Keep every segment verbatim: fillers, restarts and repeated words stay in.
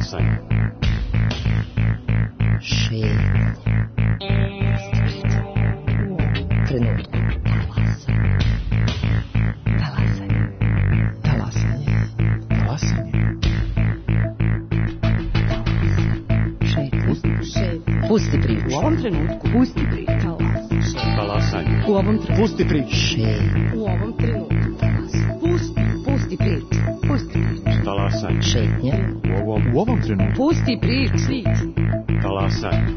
Talasanje. Šetnja. Trenutku. Talasanje. Talasanje. Talasanje. Šetnja. Pusti priču. U ovom trenutku. Pusti priču. Talasanje. U ovom trenutku. Pusti priču. Šetnja. U ovom trenutku. Pusti, pusti priču. Pusti priču. Talasanje. Šetnja. U ovom, u ovom trenutku. Pusti priču. Talasanje.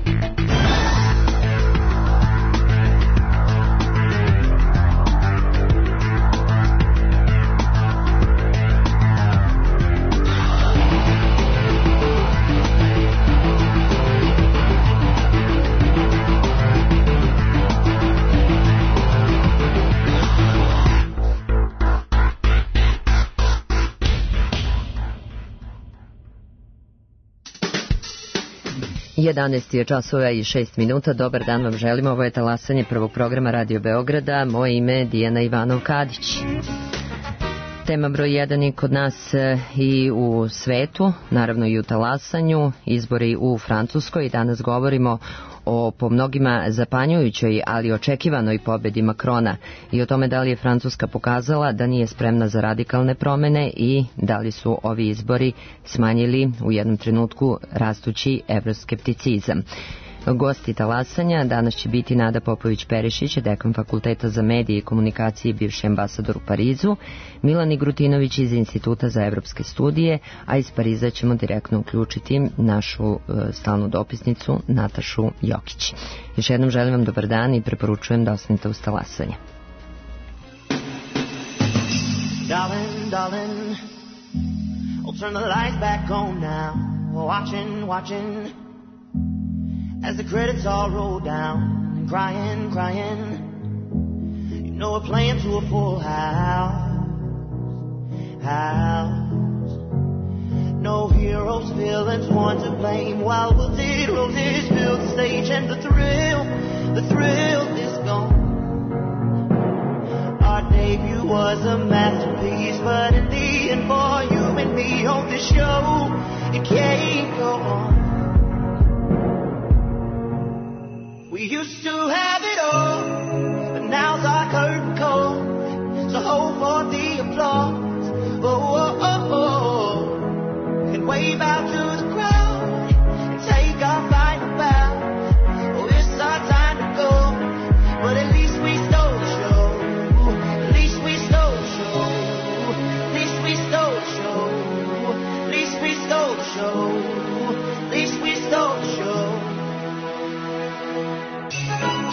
jedanaest je časova i šest minuta. Dobar dan vam želimo. Ovo je talasanje prvog programa Radio Beograda. Moje ime je Dijana Ivanov-Kadić. Tema broj jedan je kod nas i u svetu, naravno i u talasanju, izbori u Francuskoj. Danas govorimo o po mnogima zapanjujućoj, ali očekivanoj pobedi Makrona i o tome da li je Francuska pokazala da nije spremna za radikalne promene i da li su ovi izbori smanjili u jednom trenutku rastući evroskepticizam. Gosti talasanja danas će biti Nada Popović-Perišić, dekan Fakulteta za medije i komunikacije i bivši ambasador u Parizu, Milan Igrutinović iz Instituta za evropske studije, a iz Pariza ćemo direktno uključiti našu e, stalnu dopisnicu Natašu Jokić. Još jednom želim vam dobar dan i preporučujem da ostanete uz talasanje. Darling, darling, I'll turn the lights back on now. Watching, watching as the credits all roll down, and crying, crying. You know we're playing to a full house, house. No heroes, villains, one to blame. While wilted roses fill the stage, and the thrill, the thrill is gone. Our debut was a masterpiece, but in the end, for you and me on this show, it can't go on. We used to have it all, but now's our curtain call. So hold for the applause, oh, oh, oh, oh. And wave out to the crowd, and take our final bow. Oh, it's our time to go, but at least we stole the show. At least we stole the show. At least we stole the show. At least we stole the show. At least we stole the show. Show.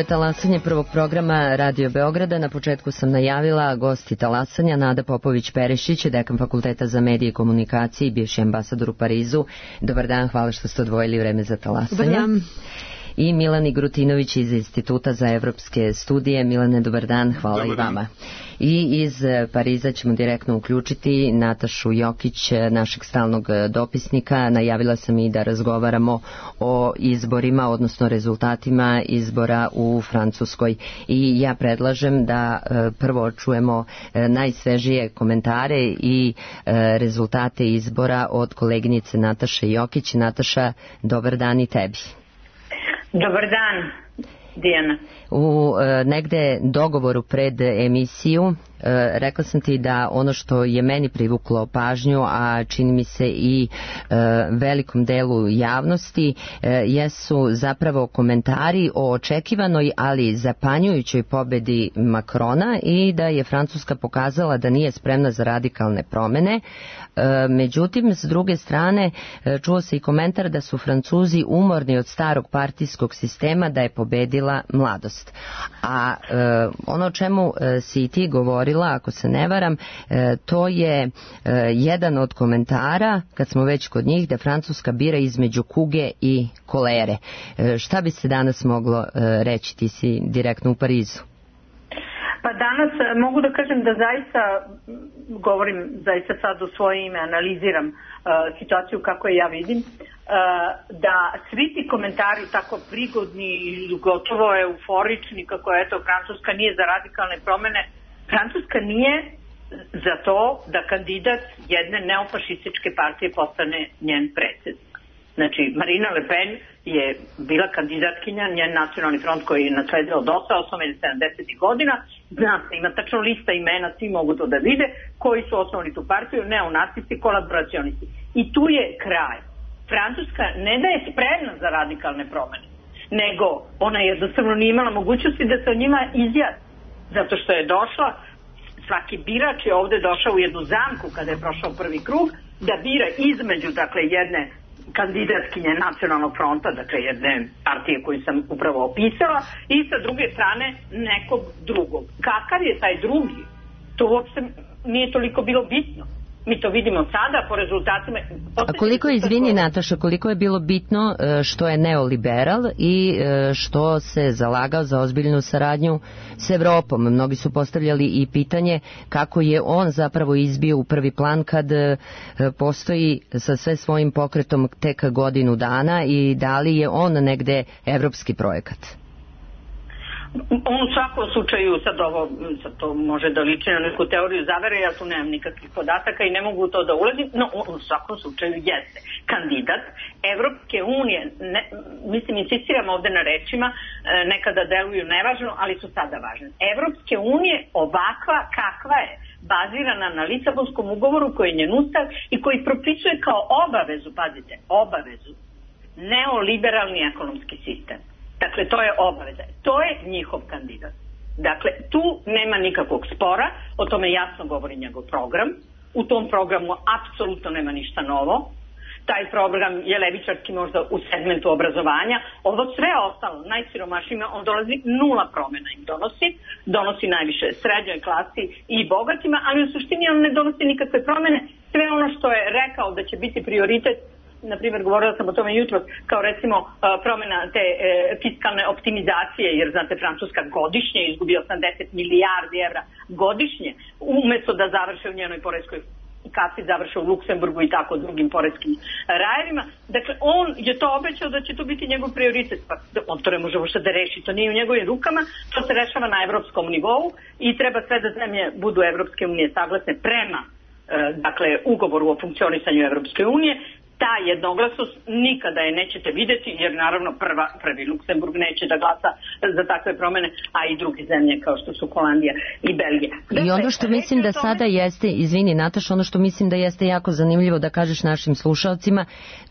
talasanje prvog programa Radio Beograda. Na početku sam najavila gosti talasanja Nada Popović-Perešić, dekan Fakulteta za medije i komunikacije i bivši ambasador u Parizu. Dobar dan, hvala što ste odvojili vreme za talasanje. Dobar dan. I Milan Igrutinović iz Instituta za evropske studije. Milane, dobar dan, hvala dobar i vama. Dan. I iz Pariza ćemo direktno uključiti Natašu Jokić, našeg stalnog dopisnika. Najavila sam i da razgovaramo o izborima, odnosno rezultatima izbora u Francuskoj. I ja predlažem da prvo čujemo najsvežije komentare i rezultate izbora od koleginice Nataše Jokić. Nataša, dobar dan i tebi. Dobar dan, Dijana. U e, negde dogovoru pred emisiju e, rekla sam ti da ono što je meni privuklo pažnju, a čini mi se i e, velikom delu javnosti, e, jesu zapravo komentari o očekivanoj, ali zapanjujućoj pobedi Makrona i da je Francuska pokazala da nije spremna za radikalne promene. E, međutim, s druge strane, e, čuo se i komentar da su Francuzi umorni od starog partijskog sistema, da je pobedila mladost. A e, ono o čemu e, si ti govorila, ako se ne varam, e, to je e, jedan od komentara, kad smo već kod njih, da Francuska bira između kuge i kolere. E, šta bi se danas moglo e, reći, ti si direktno u Parizu? Pa danas mogu da kažem da zaista, govorim zaista sad u svoje ime, analiziram uh, situaciju kako je ja vidim, uh, da svi ti komentari tako prigodni i gotovo euforični kako je eto Francuska nije za radikalne promene, Francuska nije za to da kandidat jedne neofašističke partije postane njen predsjednik. Znači, Marine Le Pen je bila kandidatkinja, njen nacionalni front koji je nasledio od osam ili sedamdesetih godina, zna se, ima tačno lista imena, svi mogu to da vide, koji su osnovni tu partiju, neonacisti, kolaboracionisti. I tu je kraj. Francuska ne da je spremna za radikalne promene, nego ona jednostavno nije imala mogućnosti da se o njima izjasni. Zato što je došla, svaki birač je ovde došao u jednu zamku kada je prošao prvi krug, da bira između, dakle, jedne kandidatkinje nacionalnog fronta, dakle jedne partije koju sam upravo opisala, i sa druge strane nekog drugog. Kakav je taj drugi? To uopšte nije toliko bilo bitno. Mi to vidimo sada po rezultatima. A koliko je, izvini Nataša, koliko je bilo bitno što je neoliberal i što se zalagao za ozbiljnu saradnju s Evropom? Mnogi su postavljali i pitanje kako je on zapravo izbio u prvi plan kad postoji sa sve svojim pokretom tek godinu dana i da li je on negde evropski projekat? On u svakom slučaju, sad ovo, sad to može da liči na neku teoriju zavere, ja tu nemam nikakvih podataka i ne mogu to da ulazim, no on u svakom slučaju jeste kandidat Evropske unije. Ne, mislim, insistiram ovde na rečima, nekada deluju nevažno, ali su sada važne. Evropske unije ovakva kakva je, bazirana na Lisabonskom ugovoru koji je njen ustav i koji propisuje kao obavezu, pazite, obavezu, neoliberalni ekonomski sistem. Dakle, to je obaveza. To je njihov kandidat. Dakle, tu nema nikakvog spora, o tome jasno govori njegov program. U tom programu apsolutno nema ništa novo. Taj program je levičarski možda u segmentu obrazovanja. Ovo sve ostalo, najsiromašnijima, on dolazi nula promjena im donosi. Donosi najviše srednjoj klasi i bogatima, ali u suštini on ne donosi nikakve promjene. Sve ono što je rekao da će biti prioritet, na primjer, govorila sam o tome jutro, kao recimo promjena te e, fiskalne optimizacije, jer znate, Francuska godišnje izgubi osamdeset milijardi evra godišnje, umjesto da završe u njenoj poreskoj kasi, završe u Luksemburgu i tako drugim poreskim rajevima. Dakle, on je to obećao da će to biti njegov prioritet, pa on to ne može uopšte da reši, to nije u njegovim rukama, to se rešava na evropskom nivou i treba sve da zemlje budu Evropske unije saglasne prema e, dakle, ugovoru o funkcionisanju Evropske unije. Ta jednoglasnost nikada je nećete vidjeti, jer naravno prva, prvi Luksemburg neće da glasa za takve promjene, a i druge zemlje kao što su Holandija i Belgija. I ono što mislim da sada jeste, izvini Nataša, ono što mislim da jeste jako zanimljivo da kažeš našim slušalcima,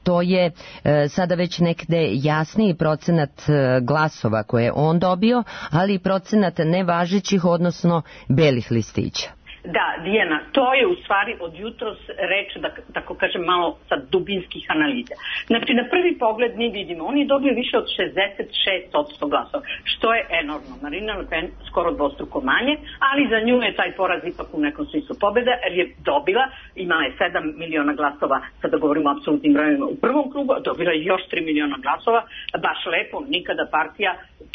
to je e, sada već nekde jasniji procenat e, glasova koje je on dobio, ali i procenat nevažećih, odnosno belih listića. Da, Dijana, to je u stvari od jutros reč, da tako kažem, malo sa dubinskih analiza. Znači, na prvi pogled mi vidimo, on je dobio više od šezdeset šest posto glasova, što je enormno. Marina Le Pen skoro dvostruko manje, ali za nju je taj poraz ipak u nekom smislu pobjeda, jer je dobila, imala je sedam miliona glasova, sada govorimo o apsolutnim brojima u prvom krugu, a dobila je još tri miliona glasova, baš lepo, nikada partija,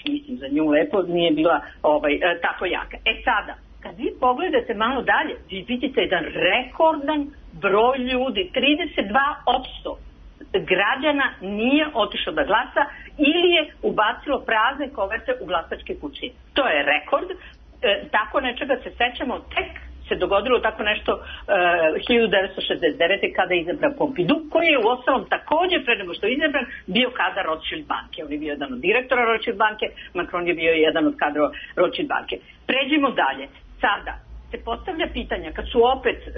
mislim za nju lepo, nije bila ovaj, tako jaka. E sada, kad vi pogledate malo dalje, vi vidite jedan rekordan broj ljudi, trideset dva posto građana nije otišao da glasa ili je ubacilo prazne koverte u glasačke kutije. To je rekord. E, tako nečega se sećamo, tek se dogodilo tako nešto e, hiljadu devetsto šezdeset devete. kada je izabran Pompidou, koji je u ostalom također pre nego što je izabran bio kadar Rothschild banke. On je bio jedan od direktora Rothschild banke, Macron je bio jedan od kadrova Rothschild banke. Pređimo dalje. Sada se postavlja pitanja, kad su opet e,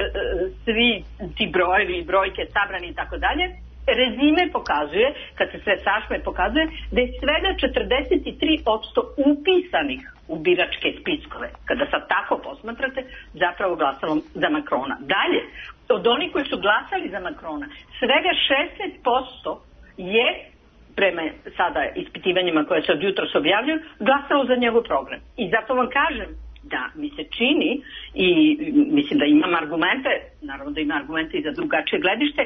svi ti brojevi i brojke sabrani i tako dalje, rezime pokazuje, kad se sve sašme pokazuje, da je svega četrdeset tri posto upisanih u biračke spiskove. Kada sad tako posmatrate, zapravo glasalo za Macrona. Dalje, od onih koji su glasali za Macrona, svega šezdeset posto je, prema sada ispitivanjima koje se od jutros objavljuju, glasalo za njegov program. I zato vam kažem da mi se čini, i mislim da imam argumente, naravno da ima argumente i za drugačije gledište,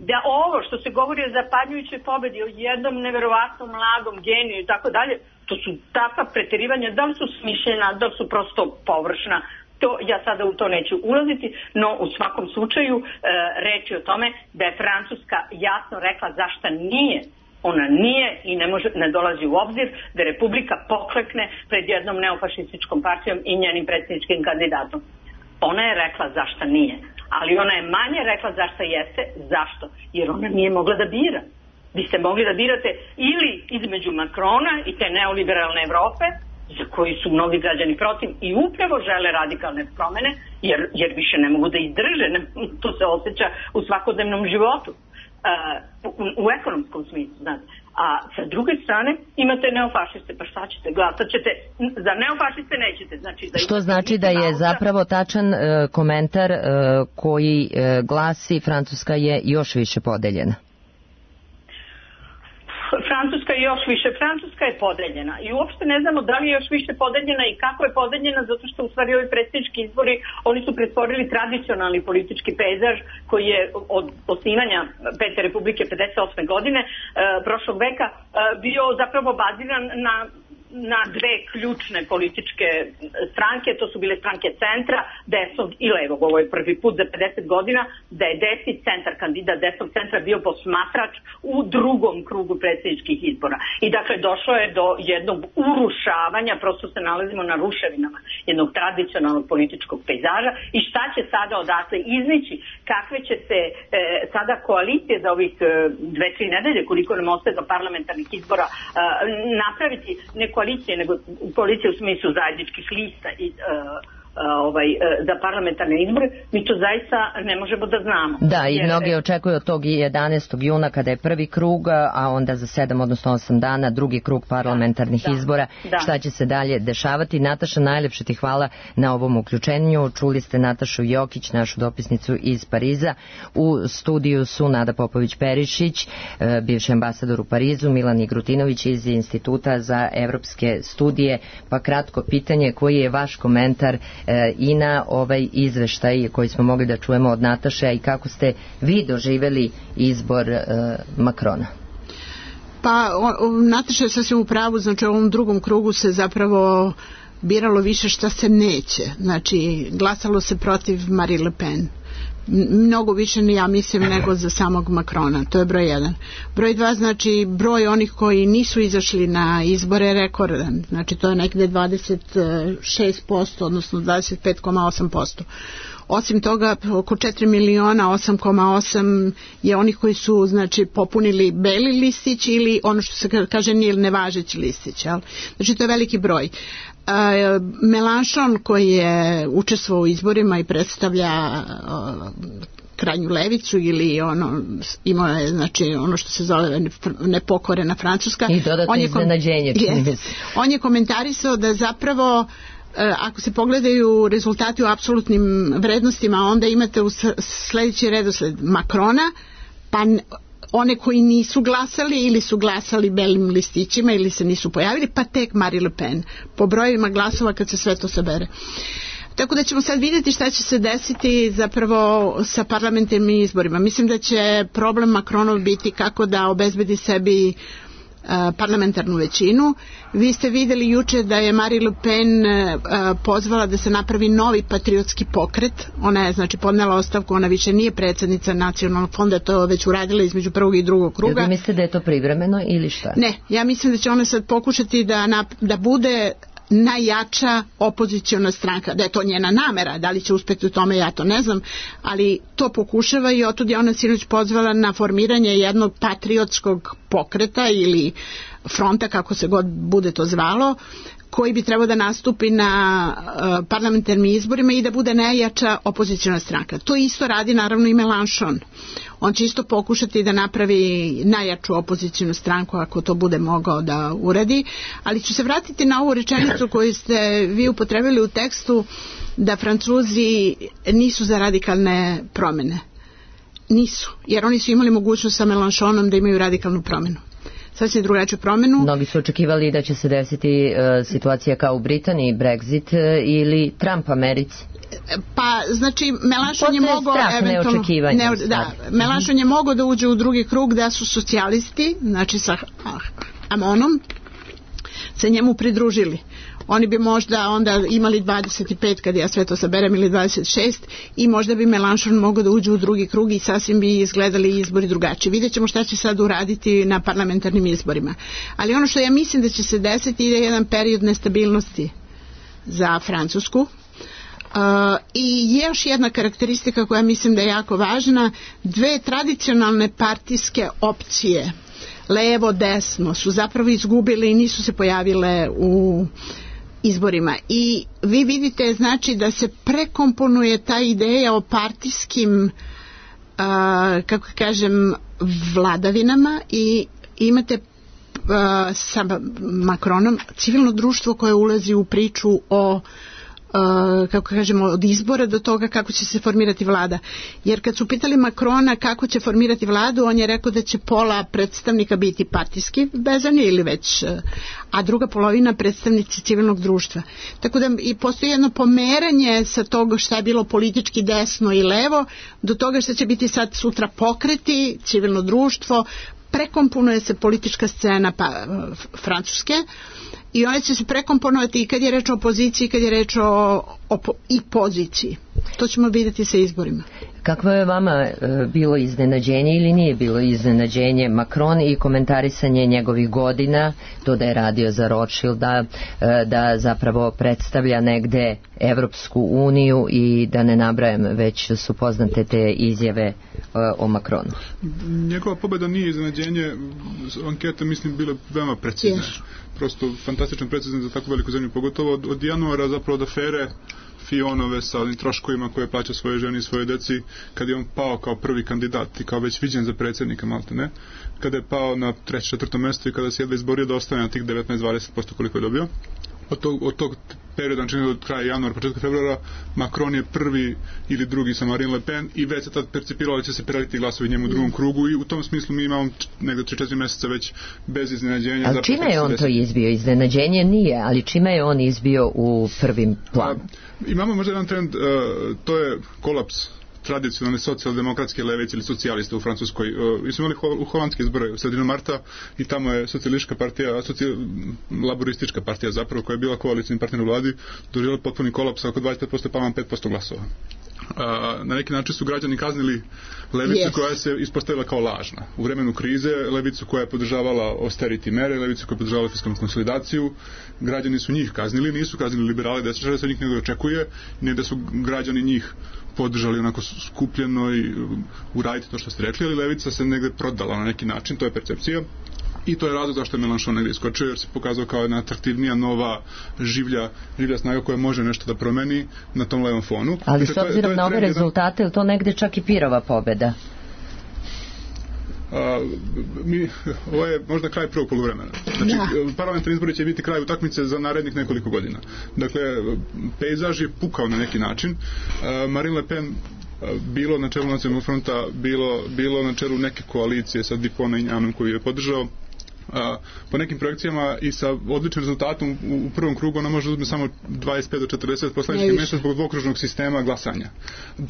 da ovo što se govori o zapanjujućoj pobedi, o jednom neverovatnom mladom geniju i tako dalje, to su takva preterivanja, da li su smišljena, da li su prosto površna, to ja sada u to neću ulaziti, no u svakom slučaju e, reč je o tome da je Francuska jasno rekla zašto nije. Ona nije i ne, može, ne dolazi u obzir da Republika poklekne pred jednom neofašističkom partijom i njenim predsjedničkim kandidatom. Ona je rekla zašto nije, ali ona je manje rekla zašto jeste. Zašto? Jer ona nije mogla da bira. Vi ste mogli da birate ili između Macrona i te neoliberalne Evrope, za koji su mnogi građani protiv i upravo žele radikalne promene, jer, jer više ne mogu da izdrže, ne, to se osjeća u svakodnevnom životu. Uh, u, u ekonomskom smislu, znate. A sa druge strane imate neofašiste, pa šta ćete, glasat ćete, za neofašiste nećete. Znači da što znači da je zapravo tačan uh, komentar uh, koji uh, glasi Francuska je još više podeljena. Francuska je još više, Francuska je podeljena i uopšte ne znamo da li je još više podeljena i kako je podeljena, zato što u stvari ovi predsjednički izbori, oni su pretvorili tradicionalni politički pejzaž koji je od osnivanja Pete Republike pedeset osme godine e, prošlog veka e, bio zapravo baziran na na dve ključne političke stranke, to su bile stranke centra, desnog i levog. Ovo je prvi put za pedeset godina da je desni centar, kandidat desnog centra bio posmatrač u drugom krugu predsjedničkih izbora. I dakle došlo je do jednog urušavanja, prosto se nalazimo na ruševinama jednog tradicionalnog političkog pejzaža i šta će sada odatle iznići, kakve će se e, sada koalicije za ovih e, dve, tri nedelje, koliko nam ostaje do parlamentarnih izbora, e, napraviti ne koalicije, nego koalicije u smislu zajedničkih lista i uh, ovaj, za parlamentarne izbore, mi to zaista ne možemo da znamo. Da, i jer... mnogi očekuju od tog jedanaestog juna kada je prvi krug, a onda za sedam odnosno osam dana drugi krug parlamentarnih da, izbora. Da. Šta će se dalje dešavati? Nataša, najlepše ti hvala na ovom uključenju. Čuli ste Natašu Jokić, našu dopisnicu iz Pariza. U studiju su Nada Popović-Perišić, bivši ambasador u Parizu, Milan Igrutinović iz Instituta za evropske studije. Pa kratko pitanje, koji je vaš komentar i na ovaj izveštaj koji smo mogli da čujemo od Nataše i kako ste vi doživjeli izbor Macrona? Pa Nataša je sasvim u pravu, znači u ovom drugom krugu se zapravo biralo više šta se neće, znači glasalo se protiv Marine Le Pen, mnogo više ja mislim nego za samog Macrona, to je broj jedan. Broj dva, znači broj onih koji nisu izašli na izbore je rekordan, znači to je nekde dvadeset šest posto odnosno dvadeset pet zarez osam posto. Osim toga, oko četiri miliona osam zarez osam je onih koji su znači popunili beli listić ili ono što se kaže nije nevažeći listić, jel? Znači to je veliki broj. Uh, Mélenchon koji je učestvovao u izborima i predstavlja uh, krajnju levicu ili ono imao je znači ono što se zove nepokorena Francuska. I dodatno iznenađenje. Kom- on je komentarisao da zapravo ako se pogledaju rezultati u apsolutnim vrednostima, onda imate u sledeći redosled Macrona, pa one koji nisu glasali ili su glasali belim listićima ili se nisu pojavili, pa tek Marine Le Pen po brojevima glasova kad se sve to sabere. Tako da ćemo sad vidjeti šta će se desiti zapravo sa parlamentarnim izborima. Mislim da će problem Macronov biti kako da obezbedi sebi parlamentarnu većinu. Vi ste vidjeli juče da je Marine Le Pen pozvala da se napravi novi patriotski pokret. Ona je znači podnela ostavku, ona više nije predsjednica nacionalnog fonda, to je već uradila između prvog i drugog kruga. Jel mislite da je to privremeno ili šta? Ne, ja mislim da će ona sad pokušati da, da bude najjača opoziciona stranka, da je to njena namera, da li će uspjeti u tome ja to ne znam, ali to pokušava i otud je ona sinoć pozvala na formiranje jednog patriotskog pokreta ili fronta, kako se god bude to zvalo, koji bi trebao da nastupi na uh, parlamentarnim izborima i da bude najjača opoziciona stranka. To isto radi naravno i Mélenchon. On će isto pokušati da napravi najjaču opozicionu stranku ako to bude mogao da uradi, ali ću se vratiti na ovu rečenicu koju ste vi upotrebili u tekstu da Francuzi nisu za radikalne promjene. Nisu, jer oni su imali mogućnost sa Mélenchonom da imaju radikalnu promjenu. Sasvim drugačiju promjenu. Mnogi su očekivali da će se desiti uh, situacija kao u Britaniji, Brexit uh, ili Trump Americi. Pa, znači, Mélenchon je mogao eventualno... Ne, da, Mélenchon je mogao da uđe u drugi krug da su socijalisti, znači sa Amonom, se njemu pridružili. Oni bi možda onda imali dvadeset pet, kad ja sve to saberem, ili dvadeset šest, i možda bi Mélenchon mogao da uđe u drugi krug i sasvim bi izgledali izbori drugačije. Vidjet ćemo šta će sad uraditi na parlamentarnim izborima. Ali ono što ja mislim da će se desiti je jedan period nestabilnosti za Francusku. Uh, i još jedna karakteristika koja mislim da je jako važna, dve tradicionalne partijske opcije, levo, desno, su zapravo izgubile i nisu se pojavile u izborima. I vi vidite znači da se prekomponuje ta ideja o partijskim uh, kako kažem vladavinama i imate uh, sa Macronom civilno društvo koje ulazi u priču o Uh, kako kažemo, od izbora do toga kako će se formirati vlada. Jer kad su pitali Macrona kako će formirati vladu, on je rekao da će pola predstavnika biti partijski vezani ili već, a druga polovina predstavnici civilnog društva. Tako da i postoji jedno pomeranje sa toga šta je bilo politički desno i levo do toga što će biti sad sutra pokreti, civilno društvo, prekomponuje se politička scena pa, Francuske i ona će se prekomponovati i kad je reč o opoziciji i kad je reč o, o i poziciji. To ćemo vidjeti sa izborima. Kakvo je vama e, bilo iznenađenje ili nije bilo iznenađenje Macron i komentarisanje njegovih godina, to da je radio za Rothschilda, e, da zapravo predstavlja negde Evropsku uniju i da ne nabrajam, već su poznate te izjave e, o Macronu? Njegova pobjeda nije iznenađenje, ankete mislim bile veoma precizne. Yes. Prosto fantastično precizne za tako veliku zemlju, pogotovo od, od januara zapravo od afere Fionove sa onim troškovima koje plaća svoje ženi i svoje deci, kad je on pao kao prvi kandidat i kao već viđen za predsjednika malte ne, kada je pao na treće, četvrto mjesto i kada se jedva izborio da ostane na tih devetnaest do dvadeset posto koliko je dobio. Od tog, od tog perioda, znači od kraja januara, početka februara, Macron je prvi ili drugi sa Marine Le Pen i već se tad percipiralo da će se preliti glasovi njemu u drugom krugu i u tom smislu mi imamo negdje tri četiri mjeseca već bez iznenađenja. Ali čime je on to izbio? Iznenađenje nije, ali čime je on izbio u prvim planu? Imamo možda jedan trend, uh, to je kolaps tradicionalne socijaldemokratske levice ili socijaliste u Francuskoj. Mi smo imali ho- u holandske izbore u sredinu marta i tamo je socijalistička partija, socijal, laboristička partija zapravo, koja je bila koalicijni partner u vladi, doživjela potpuni kolaps, oko dvadeset pet posto pa vam pet posto glasova. A, na neki način su građani kaznili levicu yes. koja se ispostavila kao lažna. U vremenu krize levicu koja je podržavala austerity mere, levicu koja je podržavala fiskalnu konsolidaciju, građani su njih kaznili, nisu kaznili liberale desničare, da se od njih nego očekuje, ne da su građani njih podržali onako skupljeno i uraditi to što ste rekli, ali levica se negde prodala na neki način, to je percepcija. I to je razlog zašto je Mélenchon negdje iskočio, jer se pokazao kao jedna atraktivnija, nova, življa, življa snaga koja može nešto da promeni na tom levom fonu. Ali s obzirom na ove rezultate, je to negdje čak i pirova pobjeda? A, mi, ovo je možda kraj prvog poluvremena. Znači, Da. parlamentarni izbori će biti kraj utakmice za narednih nekoliko godina. Dakle, pejzaž je pukao na neki način. A, Marine Le Pen bilo na čelu Nacionalnog fronta, bilo, bilo na čelu neke koalicije sa Dupont i Njanom koji je podržao. A, po nekim projekcijama i sa odličnim rezultatom u, u prvom krugu ona može uzme samo dvadeset pet do četrdeset poslaničkih mjesta zbog dvokružnog sistema glasanja.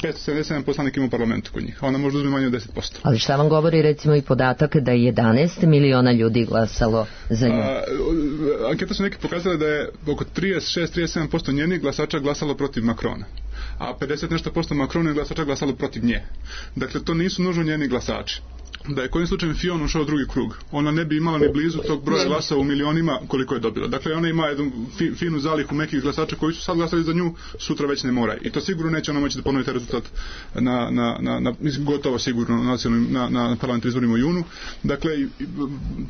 petsto sedamdeset sedam poslanika ima u parlamentu kod njih, a ona može uzme manje od deset posto. Ali šta vam govori recimo i podatak da je jedanaest miliona ljudi glasalo za nju? A, anketa su neki pokazali da je oko trideset šest do trideset sedam posto njenih glasača glasalo protiv Makrona, a pedeset nešto posto Makrona glasača glasalo protiv nje. Dakle, to nisu nužno njeni glasači. Da je kojim slučajem Fillon ušao u drugi krug, ona ne bi imala ni blizu tog broja glasova u milionima koliko je dobila. Dakle, ona ima jednu fi, finu zalihu nekih glasača koji su sad glasali za nju, sutra već ne moraju. I to sigurno neće ona moći da ponovi taj rezultat na, na, na, na gotovo sigurno na, nacionalnim, na, na parlamentarnim izborima u junu. Dakle,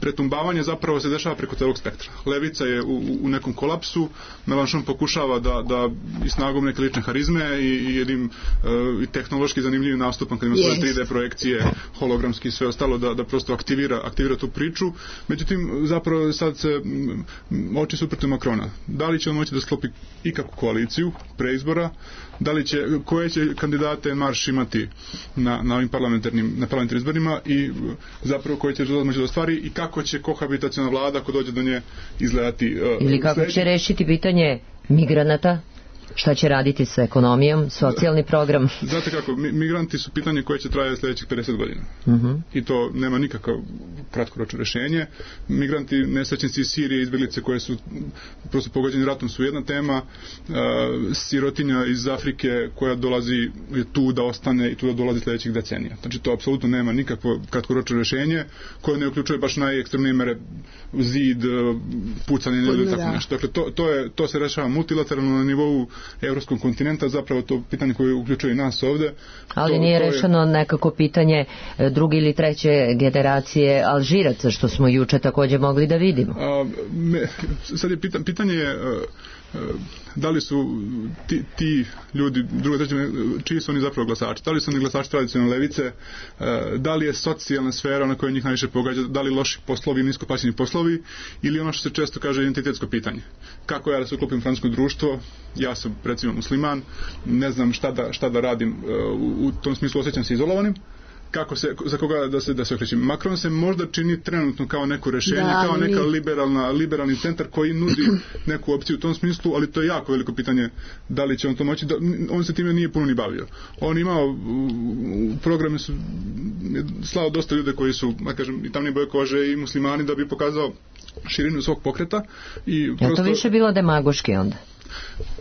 pretumbavanje zapravo se dešava preko celog spektra. Levica je u, u nekom kolapsu, Mélenchon pokušava da, da i snagom neke lične harizme i, i jednim uh, tehnološki zanimljivim nastupom kad ima svoje tri D projekcije, hologramski sve ostalo da, da prosto aktivira, aktivira tu priču. Međutim, zapravo sad se m, oči su protiv Makrona. Da li će on moći da sklopi ikakvu koaliciju pre izbora, da li će, koje će kandidate marš imati na, na ovim parlamentarnim, na parlamentarnim izborima i zapravo koje će rezultat moći da ostvari i kako će kohabitaciona vlada ako dođe do nje izgledati. Uh, Ili kako sljedeći... će rešiti pitanje migranata? Šta će raditi sa ekonomijom, socijalni program? Znate kako, migranti su pitanje koje će trajati sljedećih pedeset godina. Uh-huh. I to nema nikakav kratkoročno rješenje. Migranti, nesrećnici iz Sirije, izbjeglice koje su prosto pogođeni ratom su jedna tema. Uh, sirotinja iz Afrike koja dolazi tu da ostane i tu da dolazi sljedećih decenija. Znači to apsolutno nema nikakvo kratkoročno rješenje koje ne uključuje baš najekstremnije mere zid, pucanje ili tako nešto. Dakle, to, to, je, to se rešava multilateralno na nivou evropskog kontinenta, zapravo to pitanje koje uključuje i nas ovde. Ali to, nije to rešeno je... nekako pitanje druge ili treće generacije Alžiraca, što smo juče također mogli da vidimo. A, me, sad je pitanje, pitanje je a, a, da li su ti, ti ljudi, druga treća, čiji su oni zapravo glasači? Da li su oni glasači tradicionalne levice? A, da li je socijalna sfera na kojoj njih najviše pogađa? Da li loši poslovi, nisko plaćeni poslovi? Ili ono što se često kaže identitetsko pitanje? Kako ja da se uklopim u francusko društvo? Ja sam recimo musliman, ne znam šta da, šta da radim, u, u tom smislu osjećam se izolovanim. Kako se, za koga da se, da se okrećem. Macron se možda čini trenutno kao neko rješenje, da, kao neka liberalna, liberalni centar koji nudi neku opciju u tom smislu, ali to je jako veliko pitanje da li će on to moći. Da, on se time nije puno ni bavio. On imao u programe su slao dosta ljude koji su, da kažem, i tamni boje kože i muslimani da bi pokazao širinu svog pokreta. I prosto... Je to više bilo demagoški onda?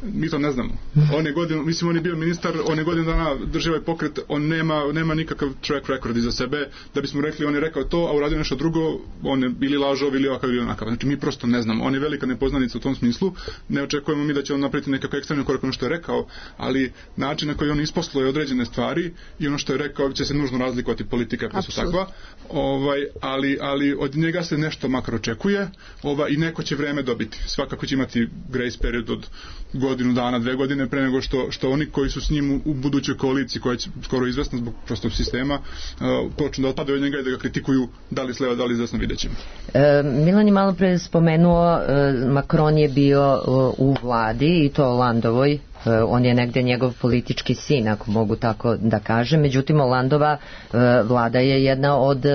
Mi to ne znamo. On je godinu, mislim on je bio ministar, on je godinu dana držao ovaj pokret, on nema, nema nikakav track record iza sebe, da bismo rekli on je rekao to, a uradio nešto drugo, on je bili lažov ili ovakav ili onakav. Znači mi prosto ne znamo. On je velika nepoznanica u tom smislu. Ne očekujemo mi da će on napraviti nekakav ekstremni korak ono što je rekao, ali način na koji on isposluje određene stvari i ono što je rekao će se nužno razlikovati politika pa su takva. Ovaj, ali, ali od njega se nešto makar očekuje, ovaj, i neko će vreme dobiti. Svakako će imati grace period od godinu dana, dve godine pre nego što, što oni koji su s njim u, u budućoj koaliciji koja će skoro izvesna zbog prostog sistema uh, počnu da otpadaju od njega i da ga kritikuju da li sleva, da li izvesno, vidjet ćemo. E, Milan je malo pre spomenuo e, Macron je bio e, u vladi i to Hollandovoj. E, on je negde njegov politički sin, ako mogu tako da kažem. Međutim, Hollandova e, vlada je jedna od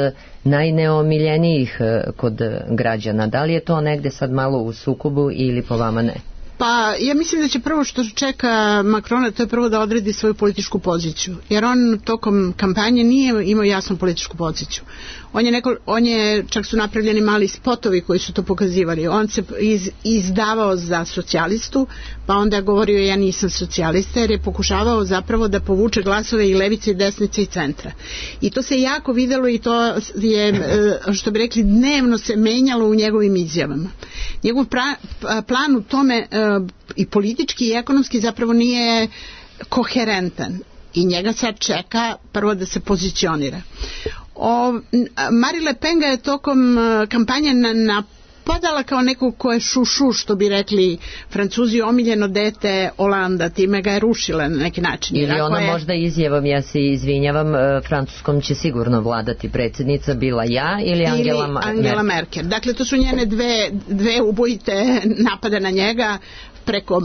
najneomiljenijih e, kod građana. Da li je to negde sad malo u sukobu ili po vama ne? Pa ja mislim da će prvo što čeka Macrona to je prvo da odredi svoju političku poziciju, jer on tokom kampanje nije imao jasnu političku poziciju. On je, neko, on je čak su napravljeni mali spotovi koji su to pokazivali. On se iz, izdavao za socijalistu, pa onda je govorio ja nisam socijalista, jer je pokušavao zapravo da povuče glasove i levice i desnice i centra. I to se jako videlo i to je, što bi rekli, dnevno se menjalo u njegovim izjavama. Njegov pra, plan u tome i politički i ekonomski zapravo nije koherentan i njega sad čeka prvo da se pozicionira. O, Marine Le Pen ga je tokom kampanje na, na, ispadala kao neko ko je šušu, što bi rekli Francuzi, omiljeno dete Olanda, time ga je rušila na neki način. Ili ono je... možda izjavom, ja se izvinjavam, Francuskom će sigurno vladati predsjednica, bila ja ili Angela, ili Ma- Angela Merkel. Merkel. Dakle, to su njene dve, dve ubojite napada na njega preko uh,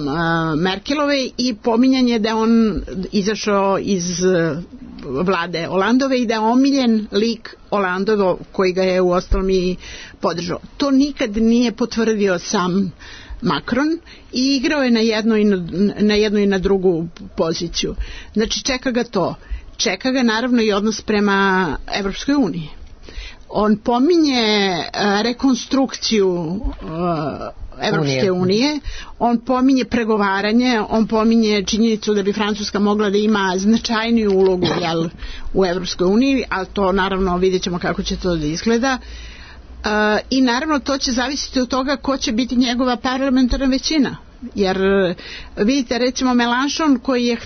Merkelove i pominjanje da on izašao iz uh, vlade Olandove i da je omiljen lik Olandovo koji ga je uostalom i podržao. To nikad nije potvrdio sam Macron i igrao je na jednu i na, na jednu i na drugu poziciju. Znači čeka ga to. Čeka ga naravno i odnos prema Evropskoj uniji. On pominje uh, rekonstrukciju uh, Evropske unije, on pominje pregovaranje, on pominje činjenicu da bi Francuska mogla da ima značajniju ulogu jel, u Evropskoj uniji, ali to naravno vidjet ćemo kako će to da izgleda. Uh, I naravno to će zavisiti od toga ko će biti njegova parlamentarna većina. Jer vidite recimo Mélenchon koji je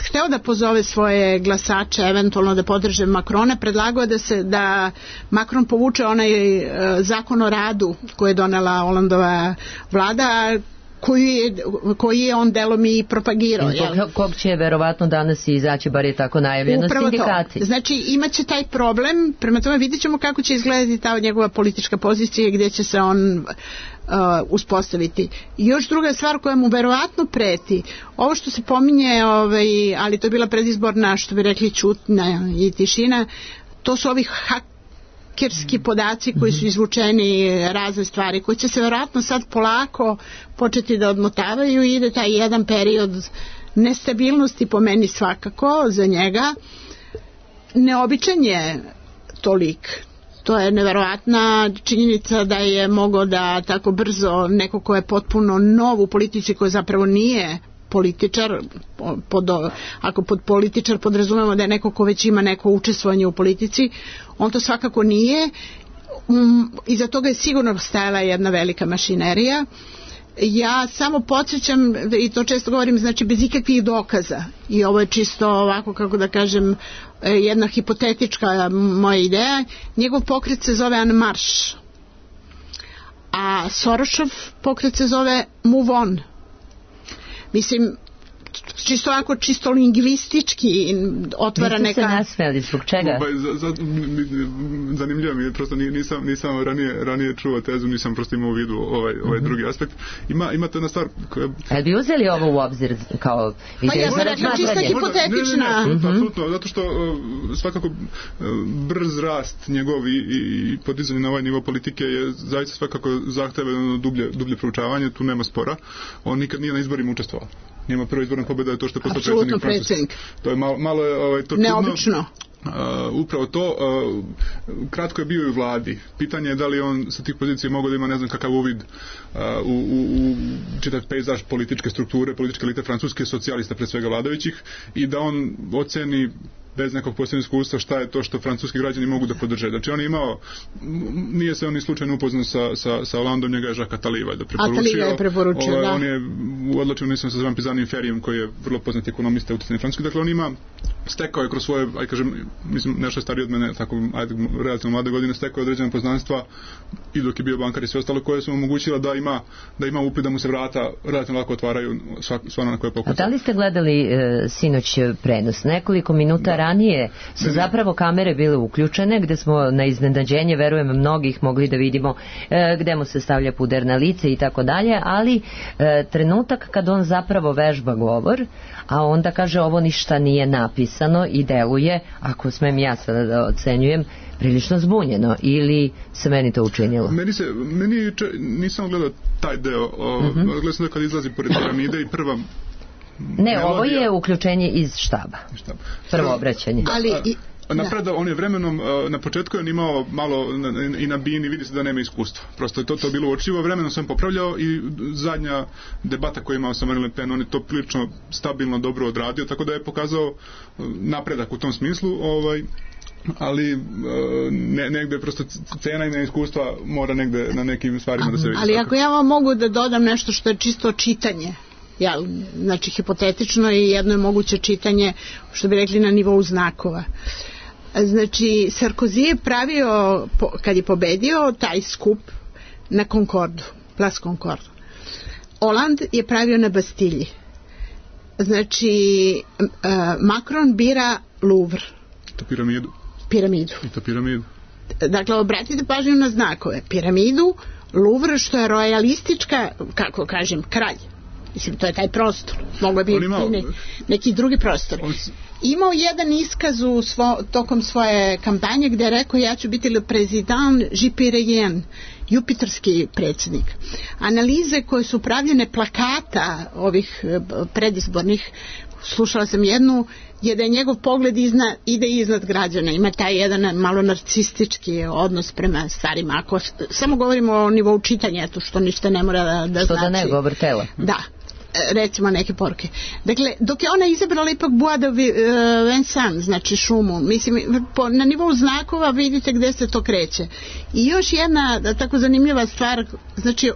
hteo da pozove svoje glasače eventualno da podrže Macrona, predlagao da se da Macron povuče onaj e, zakon o radu koji je donela Olandova vlada, koji je, koji je on delom i propagirao. Kog, kog će verovatno danas izaći, bar je tako najavljeno, sindikati. To. Znači imaće taj problem, prema tome vidjet ćemo kako će izgledati ta njegova politička pozicija i gdje će se on uh, uspostaviti. I još druga stvar koja mu verovatno preti, ovo što se pominje, ovaj, ali to je bila predizborna, što bi rekli, ćutnja i tišina, to su ovi hak kerski podaci koji su izvučeni, razne stvari koje će se vjerojatno sad polako početi da odmotavaju i ide taj jedan period nestabilnosti po meni svakako za njega. Neobičan je to lik. To je neverovatna činjenica da je mogao da tako brzo neko ko je potpuno nov u politici, koji zapravo nije političar, pod, ako pod političar podrazumemo da je neko ko već ima neko učestvovanje u politici, on to svakako nije. Um, iza toga je sigurno stajala jedna velika mašinerija. Ja samo podsjećam, i to često govorim, znači bez ikakvih dokaza, i ovo je čisto ovako, kako da kažem, jedna hipotetička moja ideja, njegov pokret se zove En Marche, a Sorosov pokret se zove Move On. Mislim, čisto ovako, čisto lingvistički otvara neka... Niste se nasmeli, zbog čega? Ba, za, za, zanimljivo mi je, prosto nisam, nisam ranije, ranije čuo tezu, nisam prosto imao u vidu ovaj, ovaj mm-hmm. drugi aspekt. Ima, ima to jedna stvar koja... Ali bi uzeli ovo u obzir kao... Pa ja sam rekla čista hipotetična. Ne, ne, ne, apsolutno, zato što svakako brz rast njegov i, i podizanje na ovaj nivo politike je zaista svakako zahteva dublje, dublje proučavanje, tu nema spora. On nikad nije na izborima učestvovao. Njema prva izborna pobjeda je to što je postao predsjednik Francuske. To je malo, malo je ovaj, to neobično. Uh, upravo to, uh, kratko je bio i u vladi. Pitanje je da li on sa tih pozicija mogao da ima ne znam kakav uvid uh, u, u, u čitav pejzaž političke strukture, političke elite francuske, socijalista pre svega vladajućih, i da on oceni bez nekog posebnog iskustva šta je to što francuski građani mogu da podrže. Znači on je imao, nije se on ni slučajno upoznao sa, sa, sa Holandom, njega je Jacques Attali da preporučio. Attali ga je preporučio, ovaj, da. On je odlačio, mislim, sa zvan Pizanim Ferijom, koji je vrlo poznat ekonomista utjecajni francuski. Dakle, on ima, stekao je kroz svoje, aj kažem, mislim, nešto stariji od mene, tako, ajde, relativno mlade godine, stekao je određena poznanstva i dok je bio bankar i sve ostalo, koje su mu omogućila da ima, da ima upit, da mu se vrata relativno lako otvaraju sva na koje pokuca. A da li ste gledali e, sinoć prenos? Nekoliko minuta da. ranije su zapravo kamere bile uključene, gde smo na iznenađenje, verujem, mnogih mogli da vidimo e, gde mu se stavlja puder na lice i tako dalje, ali e, trenutak kad on zapravo vežba govor, a onda kaže ovo ništa nije napisano i deluje, ako smem ja sada da ocenjujem, prilično zbunjeno, ili se meni to učinilo? Meni se, meni če, nisam gledao taj deo, o, mm-hmm. gledao sam da kad izlazi pored piramide i prva Ne, melodija. Ovo je uključenje iz štaba. Štab. Prvo obraćanje. Ali i Napreda, on je vremenom, na početku je on imao malo i na bini, vidi se da nema iskustva. Prosto je to, to bilo uočivo, vremenom sam popravljao i zadnja debata koju je imao sa Marine Le Pen, on je to prilično stabilno dobro odradio, tako da je pokazao napredak u tom smislu, ovaj, ali ne, negde prosto cena i neiskustva mora negde na nekim stvarima da se vidi. Ali tako. Ako ja vam mogu da dodam nešto što je čisto čitanje, ja, znači hipotetično i jedno je moguće čitanje, što bi rekli, na nivou znakova. Znači Sarkozy je pravio, kad je pobedio taj skup, na Concordu, Place Concordu. Hollande je pravio na Bastilji. Znači, uh, Macron bira Louvre. To piramidu. Piramidu. I to piramidu. Dakle, obratite pažnju na znakove. Piramidu, Louvre, što je rojalistička, kako kažem, kralj. Mislim, to je taj prostor. Mogu bi imao ne, neki drugi prostor. Imao jedan iskaz u svo, tokom svoje kampanje gdje je rekao ja ću biti le prezident Jupiterien, jupiterski predsjednik. Analize koje su pravljene plakata ovih predizbornih, slušala sam jednu, je da je njegov pogled izna, ide iznad građana. Ima taj jedan malo narcistički odnos prema stvarima. Ako samo govorimo o nivou čitanja, eto što ništa ne mora da, da što znači. Što da ne govor tela. Da. Recimo neke poruke. Dakle, dok je ona izabrala ipak Bois de Vincennes, znači šumu, mislim, po, na nivou znakova vidite gde se to kreće. I još jedna tako zanimljiva stvar, znači,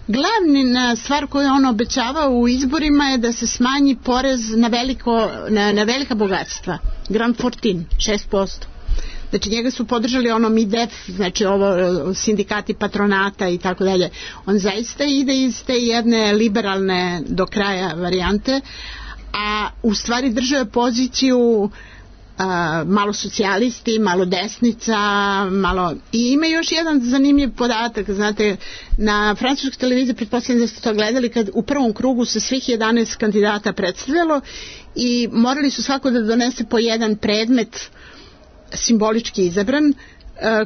glavna stvar koju on obećavao u izborima je da se smanji porez na, veliko, na, na velika bogatstva. Grand Fortin, šest posto. Znači njega su podržali ono M I D E F, znači ovo sindikati patronata i tako dalje. On zaista ide iz te jedne liberalne do kraja varijante, a u stvari držao poziciju a, malo socijalisti, malo desnica, malo... I ima još jedan zanimljiv podatak, znate, na francuskoj televiziji, pretpostavljam da ste to gledali, kad u prvom krugu se svih jedanaest kandidata predstavljalo i morali su svako da donese po jedan predmet simbolički izabran,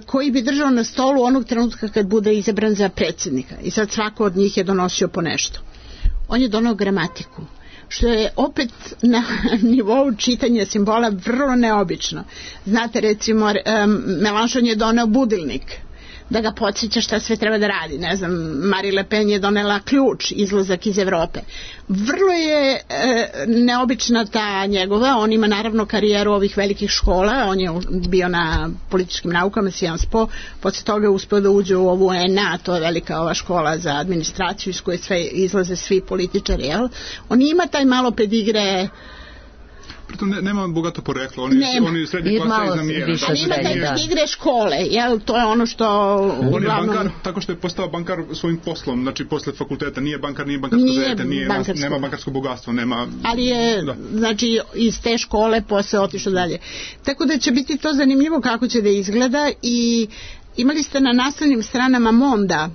koji bi držao na stolu onog trenutka kad bude izabran za predsjednika. I sad svako od njih je donosio po nešto. On je donao gramatiku, što je opet na nivou čitanja simbola vrlo neobično. Znate, recimo, Mélenchon je donao budilnik, da ga podsjeća šta sve treba da radi. Ne znam, Marie Le Pen je donela ključ, izlazak iz Evrope. Vrlo je e, neobična ta njegova, on ima naravno karijeru ovih velikih škola, on je bio na političkim naukama, Sciences Po, posle toga je uspio da uđe u ovu E N A, to je velika ova škola za administraciju iz koje sve izlaze svi političari, jel? On ima taj malo pedigre. Pritom ne, nema bogato poreklo, oni, oni srednji klasa iz namijera. Ali ima taj igre škole, jel? To je ono što... On uglavnom... je bankar, tako što je postao bankar svojim poslom, znači posle fakulteta, nije bankar, nije bankarsko dete, nije, nema bankarsko bogatstvo, nema... Ali je, da. Znači, iz te škole posle otišao dalje. Tako da će biti to zanimljivo kako će da izgleda i imali ste na naslovnim stranama Monda,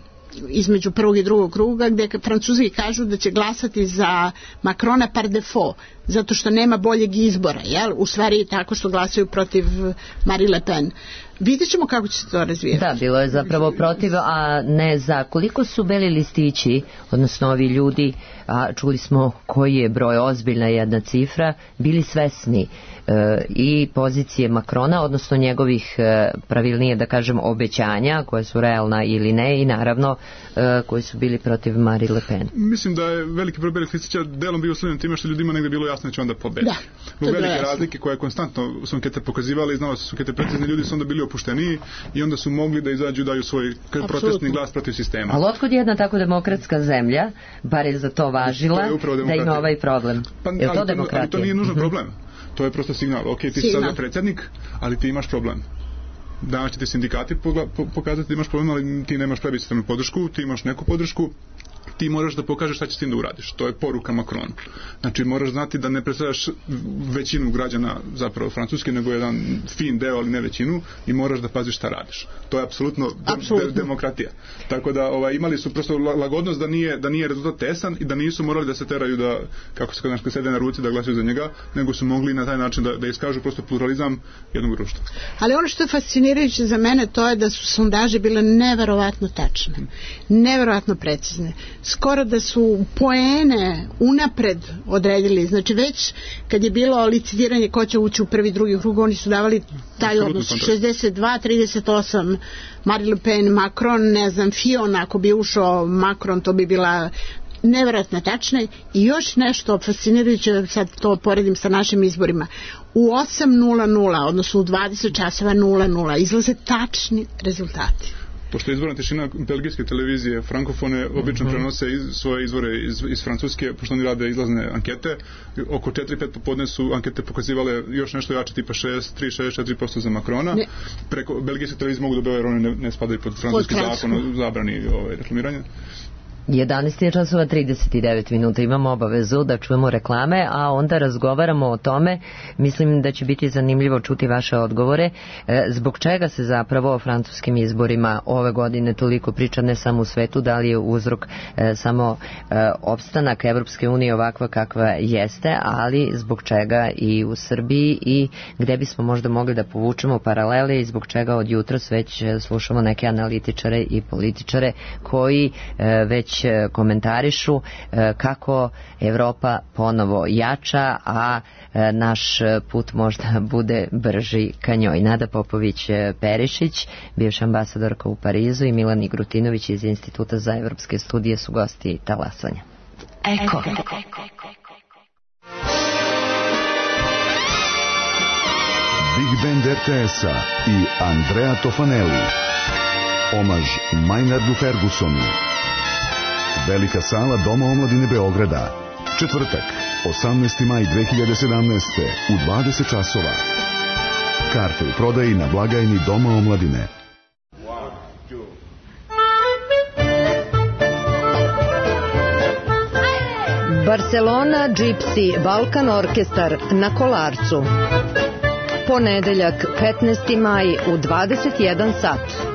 između prvog i drugog kruga, gdje Francuzi kažu da će glasati za Macrona par defaut, zato što nema boljeg izbora, jel? U stvari tako što glasaju protiv Marie Le Pen. Vidjet ćemo kako će se to razvijati. Da, bilo je zapravo protiv, a ne za. Koliko su beli listići, odnosno ovi ljudi, a čuli smo koji je broj, ozbiljna jedna cifra, bili svesni e, i pozicije Macrona, odnosno njegovih, e, pravilnije da kažem, obećanja, koje su realna ili ne, i naravno e, koji su bili protiv Marie Le Pen. Mislim da je veliki broj belih listića delom bio uslovljen time što ljudima negde bilo jasno da će onda pobedi. Da, Zbog velike jasno. razlike koje konstantno su ankete pokazivali, znalo se su ankete precizni, ljudi su onda bili opušteniji i onda su mogli da izađu i daju svoj protestni glas protiv sistema. Ali otkud jedna tako demokratska zemlja, bar je za to važila, to da ima ovaj problem? Pa, je to ali, demokratija? Ali to nije nužno problem. To je prosto signal. Ok, ti si sada predsjednik, ali ti imaš problem. Danas će ti sindikati pokazati da imaš problem, ali ti nemaš plebiscitarnu podršku, ti imaš neku podršku, ti moraš da pokažeš šta ćeš s tim da uradiš. To je poruka Macronu. Znači, moraš znati da ne predstavljaš većinu građana zapravo Francuske, nego jedan fin deo, ali ne većinu, i moraš da paziš šta radiš. To je apsolutno de- de- demokratija. Tako da ovaj, imali su prosto lagodnost da nije, da nije rezultat tesan i da nisu morali da se teraju da, kako se kod nas sede na ruci, da glasuju za njega, nego su mogli na taj način da, da iskažu prosto pluralizam jednog društva. Ali ono što je fascinirajuće za mene, to je da su sondaže bile neverovatno tačne, neverovatno precizne. Skoro da su poene unapred odredili, znači već kad je bilo licitiranje ko će ući u prvi, drugi krug, oni su davali taj odnos šezdeset dva trideset osam Marie Le Pen, Macron, ne znam, Fillon, ako bi ušao Macron, to bi bila nevjerojatno tačna. I još nešto fascinirajuće, sad to poredim sa našim izborima, u osam nula nula, odnosno u dvadeset časova nula nula izlaze tačni rezultati. pošto je izborna tišina, belgijske televizije frankofone obično mm-hmm. prenose iz, svoje izvore iz, iz Francuske, pošto oni rade izlazne ankete. Oko četiri pet popodne su ankete pokazivale još nešto jače, tipa šest tri šest četiri posto za Makrona. Ne. Preko belgijske televizije mogu dobiti jer oni ne, ne spadaju pod francuski pod zakon o zabrani ovaj, reklamiranja. jedanaest je časova trideset devet minuta, imamo obavezu da čujemo reklame, a onda razgovaramo o tome. Mislim da će biti zanimljivo čuti vaše odgovore. E, zbog čega se zapravo o francuskim izborima ove godine toliko priča, ne samo u svetu, da li je uzrok e, samo e, opstanak Evropske unije ovakva kakva jeste, ali zbog čega i u Srbiji i gde bismo možda mogli da povučemo paralele i zbog čega od jutros već slušamo neke analitičare i političare koji e, već komentarišu kako Evropa ponovo jača, a naš put možda bude brži ka njoj. Nada Popović-Perišić, bivša ambasadorka u Parizu, i Milan Igrutinović iz Instituta za evropske studije su gosti talasanja. Eko. Big Band er te es-a i Andrea Tofanelli. Omaž Maynardu Fergusonu. Velika sala Doma omladine Beograda. Četvrtak, osamnaesti maj dve hiljade sedamnaeste. u dvadeset časova. Karte u prodaji na blagajni Doma omladine. Barcelona Gypsy Balkan Orkestar na Kolarcu. Ponedeljak, petnaesti maj u dvadeset jedan sat.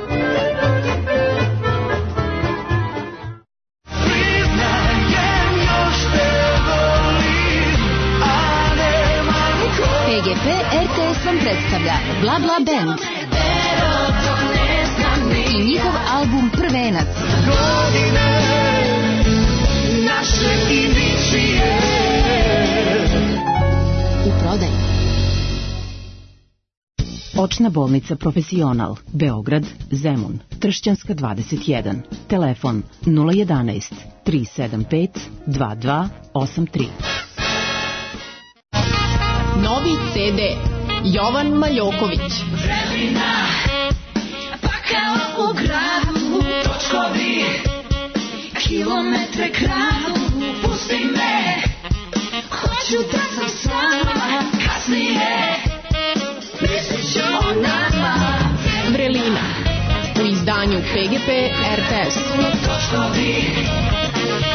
P G P er te es vam predstavlja Bla Bla Band i njihov album Prvenac. U prodaji. Očna bolnica Profesional, Beograd, Zemun, Tršćanska dvadeset jedan. Telefon nula jedanaest tri sedam pet dva dva osam tri. Novi ce de Jovan Maljoković. Vremena, pa kao u gradu, točkovi, kilometre kradu, pusti me, hoću da sam s vama, kasnije, mislit ću o nama. Vrelina, u izdanju P G P er te es. Točkovi,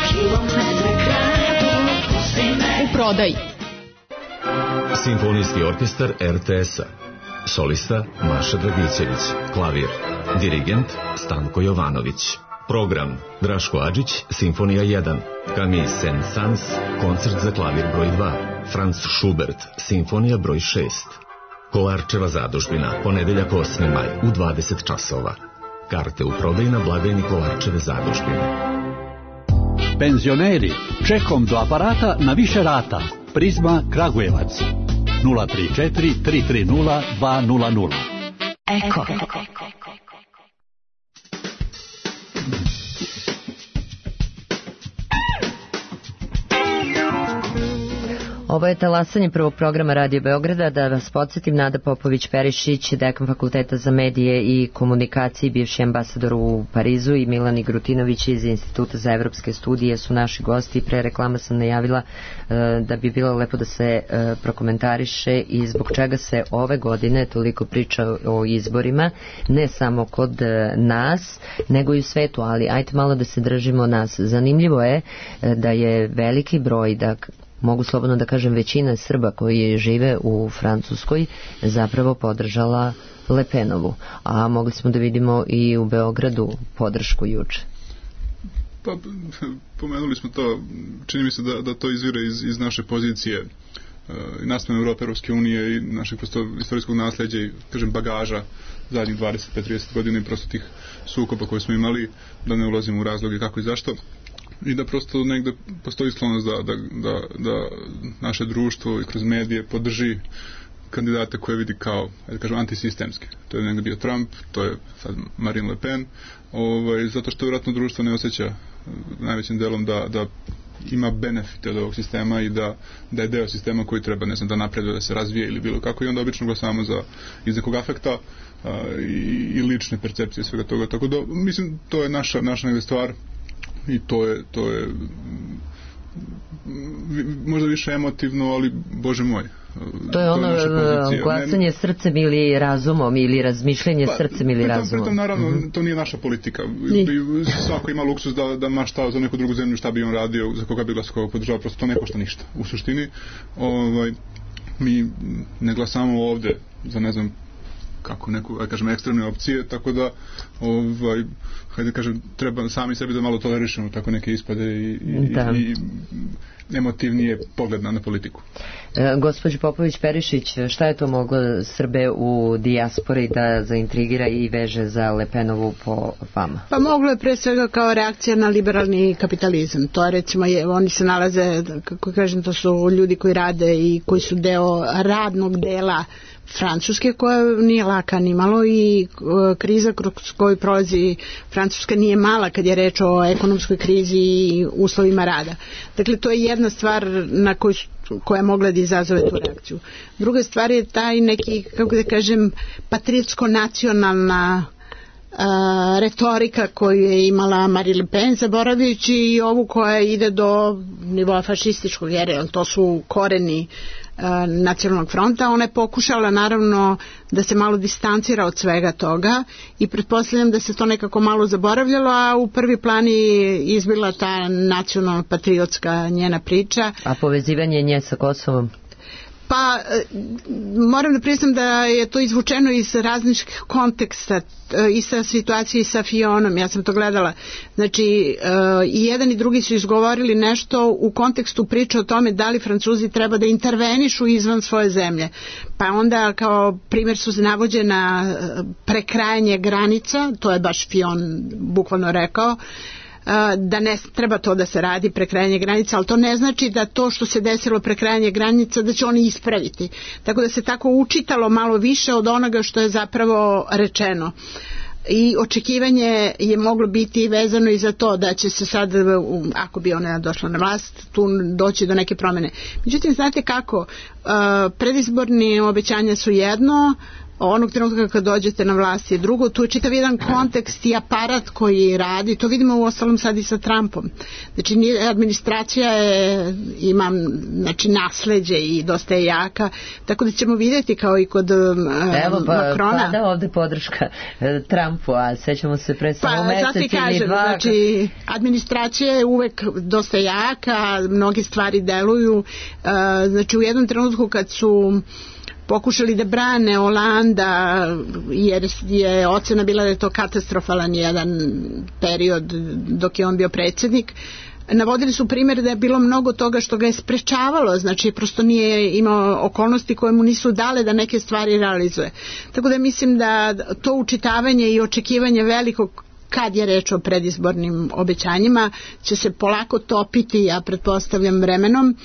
kilometre kradu, pusti me. U prodaji. Simfonijski orkestar er te es-a. Solista Maša Dragićević. Klavir. Dirigent Stanko Jovanović. Program Draško Adžić, Simfonija jedan. Camille Saint-Saëns, koncert za klavir broj dva. Franz Schubert, Simfonija broj šest. Kolarčeva zadužbina, ponedeljak osmi maj u dvadeset časova. Karte u prodaji na blagajni Kolarčeve zadužbine. Penzioneri, čekom do aparata na više rata. Prizma Kragujevac nula tri četiri tri tri nula dva nula nula. Eko. Ovo je talasanje prvog programa Radio Beograda. Da vas podsjetim, Nada Popović-Perišić, dekan Fakulteta za medije i komunikacije, bivši ambasador u Parizu, i Milan Igrutinović iz Instituta za evropske studije su naši gosti. Pre reklama sam najavila uh, da bi bilo lepo da se uh, prokomentariše i zbog čega se ove godine toliko priča o izborima, ne samo kod uh, nas, nego i u svetu, ali ajte malo da se držimo nas. Zanimljivo je uh, da je veliki broj, da mogu slobodno da kažem većina Srba koji žive u Francuskoj zapravo podržala Le Penovu, a mogli smo da vidimo i u Beogradu podršku juče. Pa, pomenuli smo to, čini mi se da, da to izvire iz, iz naše pozicije uh, naspram Evrope, Evropske unije i našeg prosto istorijskog nasleđa i, kažem, bagaža zadnjih dvadeset pet trideset godina i prosto tih sukoba koje smo imali, da ne ulazimo u razloge kako i zašto. I da prosto negde postoji sklonost da, da, da, da naše društvo i kroz medije podrži kandidate koje vidi kao, da kažem, antisistemski. To je negde bio Trump, to je sad Marine Le Pen, ovaj, zato što vjerojatno društvo ne osjeća najvećim delom da, da ima benefite od ovog sistema i da, da je deo sistema koji treba, ne znam, da napreduje, da se razvije ili bilo kako, i onda obično glasamo za iz nekog afekta a, i, i lične percepcije svega toga, tako da mislim to je naša, naša negde stvar i to je, to je možda više emotivno, ali bože moj, to je ono glasanje ne, srcem ili razumom ili razmišljanje pa, srcem ili pritom, razumom. Pritom, naravno, mm-hmm. to nije naša politika. Svako ima luksus da, da ma šta za neku drugu zemlju, šta bi on radio, za koga bi glasao, koga podržava, prosto to ne košta ništa. U suštini, ovaj, mi ne glasamo ovde za, ne znam, kako neku, aj kažem, ekstremne opcije, tako da ovaj, hajde kažem, treba sami sebi da malo tolerišemo tako neke ispade i, i, da. i emotivnije pogled na politiku. E, gospođo Popović-Perišić, šta je to moglo Srbe u dijaspori da zaintrigira i veže za Le Penovu po vama? Pa moglo je pre svega kao reakcija na liberalni kapitalizam. To je recimo, je, oni se nalaze, kako kažem, to su ljudi koji rade i koji su deo radnog dela Francuske, koja nije laka ni malo, i kriza kroz koju prolazi Francuska nije mala kad je reč o ekonomskoj krizi i uslovima rada. Dakle, to je jedna stvar na koju, koja je mogla da izazove tu reakciju. Druga stvar je taj neki, kako da kažem, patriotsko-nacionalna a, retorika koju je imala Marine Le Pen, zaboravljajući i ovu koja ide do nivoa fašističkog, jer to su koreni Nacionalnog fronta. Ona je pokušala naravno da se malo distancira od svega toga i pretpostavljam da se to nekako malo zaboravljalo, a u prvi plan je izbila ta nacionalno patriotska njena priča. A povezivanje nje sa Kosovom? Pa moram da priznam da je to izvučeno iz različitih konteksta i sa situacije i sa Fionom, ja sam to gledala. Znači i jedan i drugi su izgovorili nešto u kontekstu priče o tome da li Francuzi treba da intervenišu izvan svoje zemlje. Pa onda kao primjer su navođena prekrajanje granica, to je baš Fion bukvalno rekao, da ne treba to da se radi, prekrajanje granica, ali to ne znači da to što se desilo prekrajanje granica da će oni ispraviti. Tako da se tako učitalo malo više od onoga što je zapravo rečeno. I očekivanje je moglo biti vezano i za to da će se sad, ako bi ona došla na vlast, tu doći do neke promjene. Međutim, znate kako, predizborni obećanja su jedno, onog trenutka kad dođete na vlast je drugo, tu je čitav jedan kontekst i aparat koji radi, to vidimo u ostalom sad i sa Trumpom. Znači administracija je, ima znači, nasleđe i dosta je jaka, tako da ćemo vidjeti kao i kod um, Evo, pa, Makrona. Evo pa ovde podrška Trumpu, a sećamo se pre samo pa, mesec ili kažem, dva. Znači administracija je uvek dosta jaka, mnogi stvari deluju, uh, znači u jednom trenutku kad su pokušali da brane Olanda, jer je ocena bila da je to katastrofalan jedan period dok je on bio predsjednik, navodili su primjer da je bilo mnogo toga što ga je sprečavalo, znači prosto nije imao okolnosti koje mu nisu dale da neke stvari realizuje. Tako da mislim da to učitavanje i očekivanje velikog kad je reč o predizbornim obećanjima će se polako topiti, ja pretpostavljam vremenom,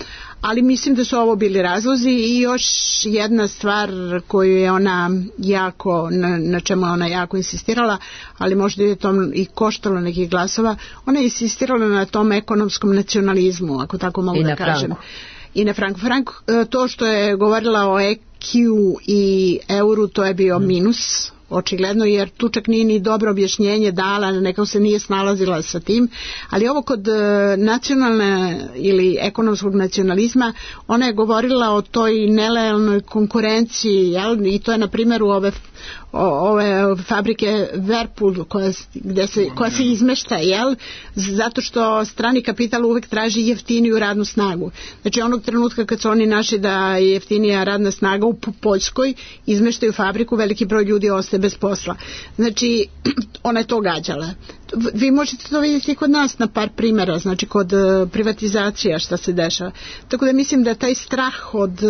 ali mislim da su ovo bili razlozi. I još jedna stvar koju je ona jako, na, na čemu je ona jako insistirala, ali možda je to i koštalo nekih glasova, ona je insistirala na tom ekonomskom nacionalizmu, ako tako mogu I da na kažem. Franku. I na Franku. Frank, to što je govorila o E Q i euru, to je bio minus, očigledno, jer tu čak nije ni dobro objašnjenje dala, nekako se nije snalazila sa tim, ali ovo kod nacionalne ili ekonomskog nacionalizma, ona je govorila o toj nelojalnoj konkurenciji, jel? I to je na primjer u ove ove fabrike Whirlpool koja, gde se, koja se izmešta, jel? Zato što strani kapital uvek traži jeftiniju radnu snagu. Znači onog trenutka kad su oni našli da je jeftinija radna snaga u Poljskoj, izmeštaju fabriku, veliki broj ljudi ostaje bez posla. Znači ona je to gađala. Vi možete to vidjeti kod nas na par primjera, znači kod privatizacija šta se dešava. Tako da mislim da taj strah od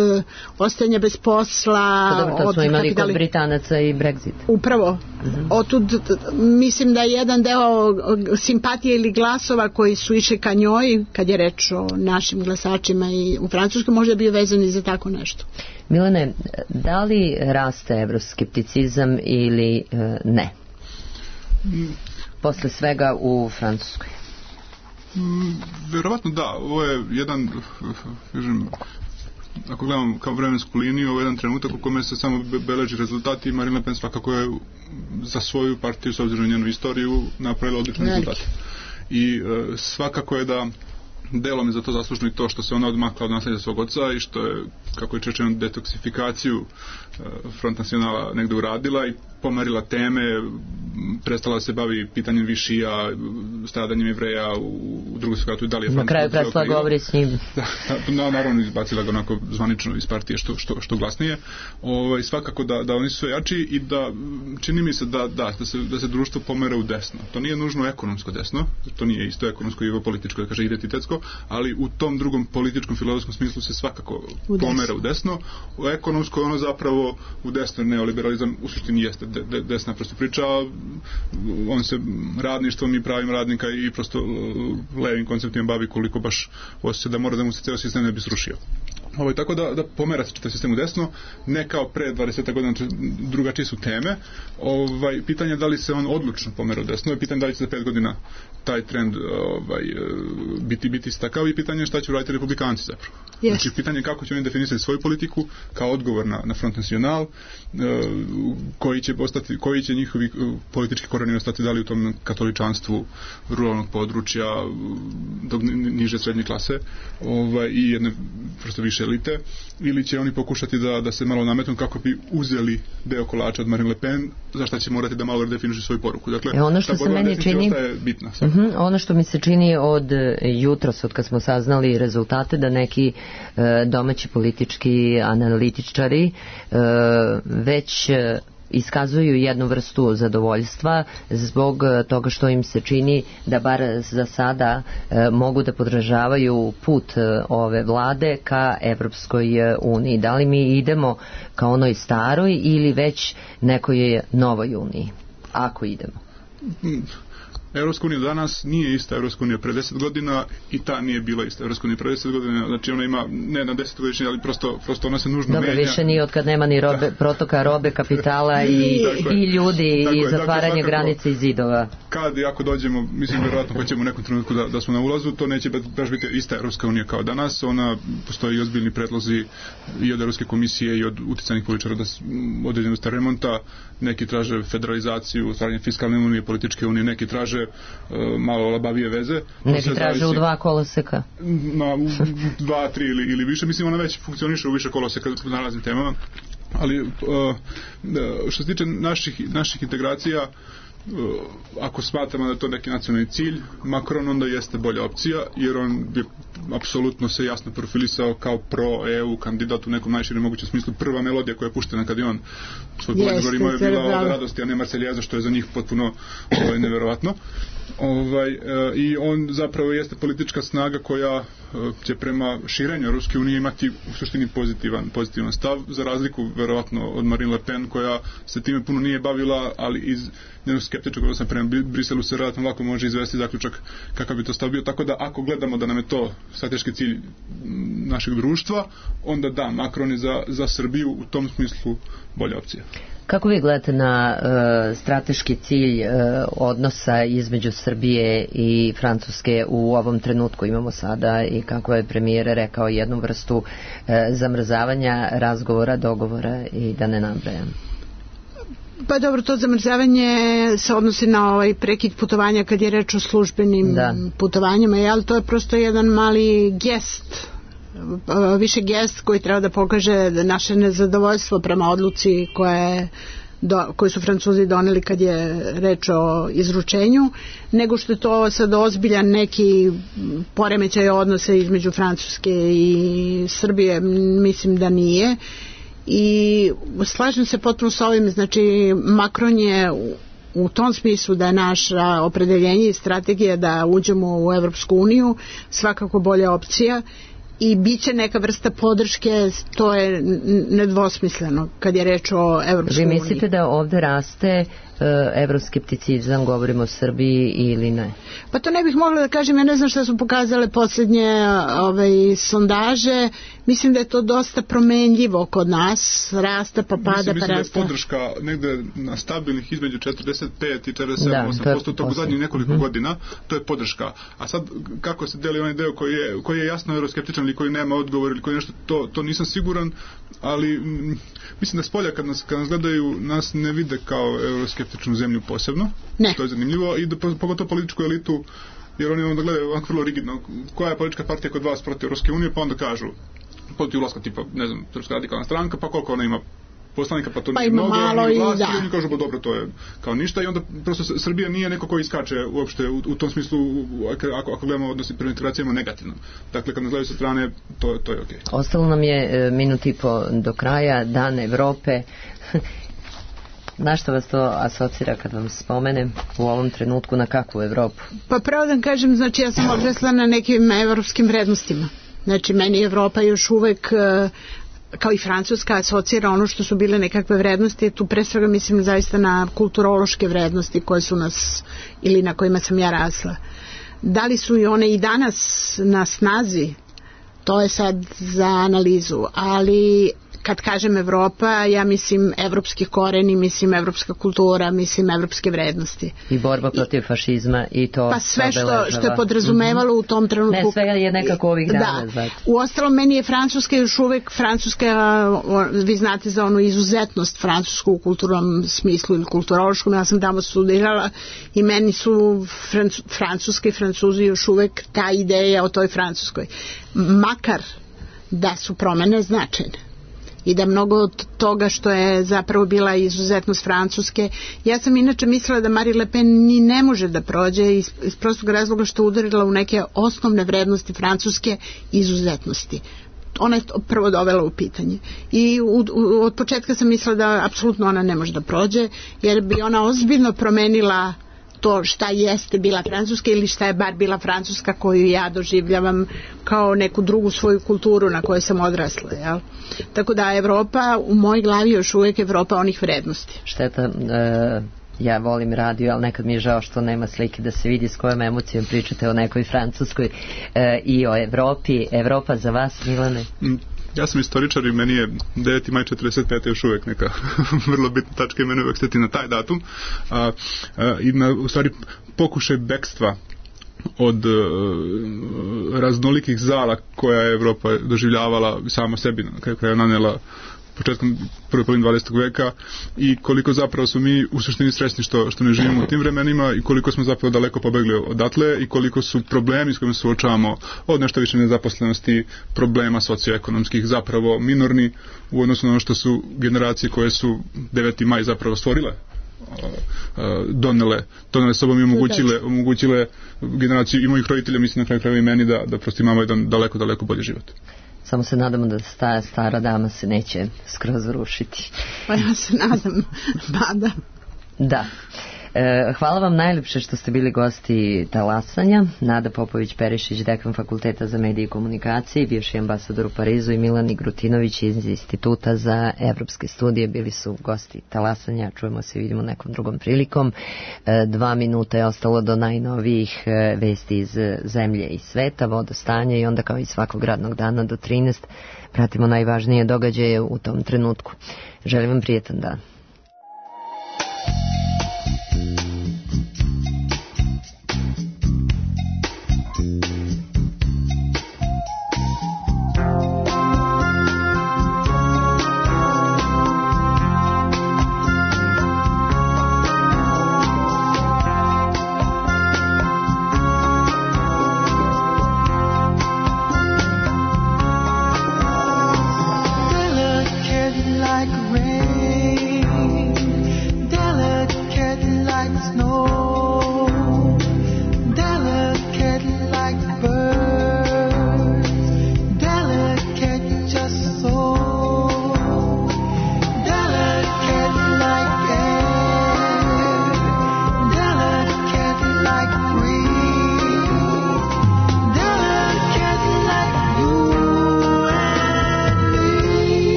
ostajanja bez posla, pa dobro, to od smo imali kapitali... kod Britanaca i Brexit. Upravo. Uh-huh. Otud mislim da je jedan deo simpatije ili glasova koji su išli ka njoj, kad je reč o našim glasačima i u Francuskoj, možda bio vezan i za tako nešto. Milane, da li raste evroskepticizam ili e, ne? Mm. Posle svega u Francuskoj. Mm, verovatno da, ovo je jedan, kažem, ako gledam kao vremensku liniju, ovo je jedan trenutak u kome se samo beleži rezultati i Marine Le Pen svakako je za svoju partiju, s obzirom na njenu istoriju, napravila odlične rezultate. I e, svakako je da delom je za to zaslužno i to što se ona odmakla od nasljeđa svog oca i što je, kako je rečeno, detoksifikaciju e, Front Nacionala negde uradila i pomerila teme, prestala se bavi pitanjem Višija, stradanjem Jevreja u, u drugom svijatu i dalje. Na kraju prestala govori s njim. Da, naravno izbacila ga onako zvanično iz partije što, što, što glasnije. Ovaj, svakako da, da oni su sve jači i da čini mi se da, da, da, se, da se društvo pomera u desno. To nije nužno ekonomsko desno, to nije isto ekonomsko i političko, da kaže identitetsko, ali u tom drugom političkom filozofskom smislu se svakako u pomera u desno. U ekonomsko ono zapravo u desno neoliberalizam u suštini jeste de, de, desna prosto priča, on se radništvom i pravim radnika i prosto levim konceptima bavi koliko baš osjeća da mora da mu se ceo sistem ne bi srušio. Ovaj, tako da, da pomera se čitav sistem u desno, ne kao pre dvadeset godina, drugačije su teme. Ovaj, pitanje je da li se on odlučno pomera u desno i pitanje da li će za pet godina taj trend ovaj, biti, biti stakav i pitanje je šta će uraditi republikanci zapravo. Yes. Znači pitanje je kako će oni definisati svoju politiku kao odgovor na, na Front National, koji će, ostati, koji će njihovi politički koreni ostati da li u tom katoličanstvu ruralnog područja do niže srednje klase ovaj, i jedne prosto više elite, ili će oni pokušati da, da se malo nametnu kako bi uzeli deo kolača od Marine Le Pen, za šta će morati da malo redefinišu svoju poruku. Dakle, e ono što se meni čini bitna, uh -huh, ono što mi se čini od jutros, od kad smo saznali rezultate, da neki uh, domaći politički analitičari uh, već uh, iskazuju jednu vrstu zadovoljstva zbog toga što im se čini da bar za sada e, mogu da podržavaju put e, ove vlade ka Evropskoj uniji. Da li mi idemo ka onoj staroj ili već nekoj novoj uniji? Ako idemo. Evropska unija danas nije ista Evropska unija pre deset godina i ta nije bila ista Evropska unija pre deset godina, znači ona ima ne na deset godišnje, ali prosto, prosto ona se nužno Dobre, menja. Dobro, više nije od kad nema ni robe, protoka robe, kapitala i, i ljudi tako i je, zatvaranje dakle, granice i zidova. Kad i ako dođemo, mislim vjerojatno hoćemo u nekom trenutku da, da smo na ulazu, to neće baš biti ista Evropska unija kao danas, ona postoji ozbiljni predlozi i od Evropske komisije i od uticajnih političara da određenu vrstu remonta, neki traže federalizaciju, stvaranje fiskalne unije, političke unije, neki traže uh, malo labavije veze. Neki traže zavisi, u dva koloseka. Na dva, tri ili, ili više. Mislim, ona već funkcioniše u više koloseka na raznim temama. Ali uh, što se tiče naših, naših integracija, ako smatramo da je to neki nacionalni cilj, Macron onda jeste bolja opcija, jer on je apsolutno se jasno profilisao kao pro-E U kandidat u nekom najširem mogućem smislu. Prva melodija koja je puštena kad je on svoj predizbor imao je bila ova radosti, a ne Marseljeza, što je za njih potpuno ovaj, neverovatno. Ovaj, e, I on zapravo jeste politička snaga koja e, će prema širenju Ruske unije imati u suštini pozitivan, pozitivan stav, za razliku verovatno od Marine Le Pen, koja se time puno nije bavila, ali iz njenog skeptičnog odnosa prema Briselu se relativno lako može izvesti zaključak kakav bi to stav bio, tako da ako gledamo da nam je to strateški cilj našeg društva, onda da, Macron je za, za Srbiju u tom smislu bolja opcija. Kako vi gledate na uh, strateški cilj uh, odnosa između Srbije i Francuske u ovom trenutku imamo sada i kako je premijer rekao jednu vrstu uh, zamrzavanja razgovora, dogovora i da ne nabrajam? Pa dobro, to zamrzavanje se odnosi na ovaj prekid putovanja kad je reč o službenim da. putovanjima, ali to je prosto jedan mali gest, više gest koji treba da pokaže naše nezadovoljstvo prema odluci koje, do, koje su Francuzi doneli kad je reč o izručenju, nego što je to sad ozbiljan neki poremećaj odnosa između Francuske i Srbije, mislim da nije. I slažem se potpuno s ovim, znači Macron je u, u tom smislu da je naša opredeljenje i strategija da uđemo u Evropsku uniju svakako bolja opcija i bit će neka vrsta podrške, to je nedvosmisleno kad je reč o Evropskoj uniji. Vi mislite da ovde raste evroskepticizam, govorimo o Srbiji ili ne? Pa to ne bih mogla da kažem, ja ne znam šta su pokazale posljednje ovaj, sondaže, mislim da je to dosta promenljivo kod nas, rasta pa pada mislim, pa rasta. rasta. Mislim da je podrška negde na stabilnih između četrdeset pet i četrdeset sedam osam posto tog zadnjih nekoliko mm-hmm. godina, to je podrška. A sad kako se deli onaj deo koji je, koji je jasno euroskeptičan ili koji nema odgovor ili koji nešto, to, to nisam siguran, ali m, mislim da spolja kad nas, kad nas gledaju, nas ne vide kao euroskeptičnu zemlju posebno. Ne. To je zanimljivo i da, pogotovo političku elitu, jer oni onda gledaju onako vrlo rigidno koja je politička partija kod vas protiv Evropske unije, pa onda kažu protiv ulaska tipa, ne znam, Srpska radikalna stranka, pa koliko ona ima poslanika, pa to pa nije mnogo, malo i vlasti, da. I oni kažu, bo dobro, to je kao ništa i onda prosto Srbija nije neko koji iskače uopšte u, u tom smislu, ako, ako gledamo odnosi prema integracijama negativno. Dakle, kad nas gledaju sa strane, to, to je okej. Okay. Ostalo nam je e, minut i po do kraja, Dan Evrope. Na što vas to asocira kad vam spomenem u ovom trenutku, na kakvu Evropu? Pa pravo da kažem, znači ja sam odrasla na nekim evropskim vrednostima. Znači meni Evropa još uvek kao i Francuska asocira ono što su bile nekakve vrednosti, tu pre svega mislim zaista na kulturološke vrednosti koje su nas ili na kojima sam ja rasla. Da li su i one i danas na snazi, to je sad za analizu, ali kad kažem Evropa, ja mislim evropski koreni, mislim evropska kultura, mislim evropske vrednosti. I borba protiv I, fašizma i to pa sve što, što je podrazumevalo mm-hmm. u tom trenutku. Ne, svega je nekako ovih dana. Da. Znači. U ostalom, meni je Francuska još uvek, Francuska, vi znate za onu izuzetnost francusku u kulturnom smislu ili kulturološkom, ja sam tamo studirala i meni su Franc, Francuska i Francuzi još uvek ta ideja o toj Francuskoj. Makar da su promene značajne i da mnogo od toga što je zapravo bila izuzetnost Francuske. Ja sam inače mislila da Marine Le Pen ni ne može da prođe iz, iz prostog razloga što je udarila u neke osnovne vrednosti Francuske izuzetnosti. Ona je prvo dovela u pitanje. I u, u, od početka sam mislila da apsolutno ona ne može da prođe, jer bi ona ozbiljno promenila to šta jeste bila Francuska ili šta je bar bila Francuska koju ja doživljavam kao neku drugu svoju kulturu na kojoj sam odrasla. Jel? Tako da Evropa u mojoj glavi još uvijek Evropa onih vrednosti. Šteta, e, ja volim radio, ali nekad mi je žao što nema slike da se vidi s kojom emocijom pričate o nekoj Francuskoj e, i o Evropi. Evropa za vas, Milane? Mm. Ja sam istoričar i meni je deveti maj četrdeset pete još uvijek neka vrlo bitna tačka i mene uvijek steti na taj datum. A, a, I na, u stvari, pokušaj bekstva od uh, raznolikih zala koja je Evropa doživljavala sama sebi, kada je nanela početkom prve polovine dvadesetog veka i koliko zapravo su mi u suštini srećni što, što ne živimo u tim vremenima i koliko smo zapravo daleko pobegli odatle i koliko su problemi s kojima se suočavamo od nešto više nezaposlenosti, problema socioekonomskih zapravo minorni u odnosu na ono što su generacije koje su deveti maj zapravo stvorile, donele, donele sobom i omogućile, omogućile generaciju i mojih roditelja, mislim na kraju krajeva i meni da, da prosto imamo jedan daleko, daleko bolji život. Samo se nadamo da ta stara dama se neće skroz rušiti. Pa ja se nadam, pa da. Da. E, hvala vam najljepše što ste bili gosti Talasanja. Nada Popović-Perišić, dekan Fakulteta za medije i komunikacije, bivši ambasador u Parizu, i Milan Igrutinović iz Instituta za evropske studije bili su gosti Talasanja. Čujemo se i vidimo nekom drugom prilikom. E, dva minuta je ostalo do najnovijih e, vesti iz zemlje i sveta, vodostanja, i onda kao i svakog radnog dana do trinaest pratimo najvažnije događaje u tom trenutku. Želim vam prijetan dan.